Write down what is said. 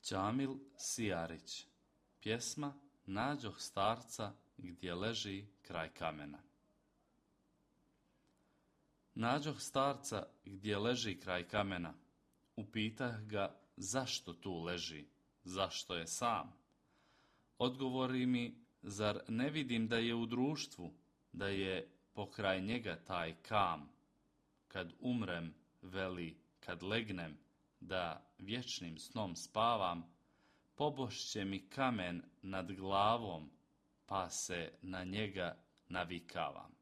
Ćamil Sijarić. Pjesma Nađoh starca gdje leži kraj kamena. Nađoh starca gdje leži kraj kamena. Upitah ga zašto tu leži, zašto je sam. Odgovori mi, zar ne vidim da je u društvu, da je pokraj njega taj kam. Kad umrem, veli, kad legnem, da vječnim snom spavam, pobošće mi kamen nad glavom, pa se na njega navikavam.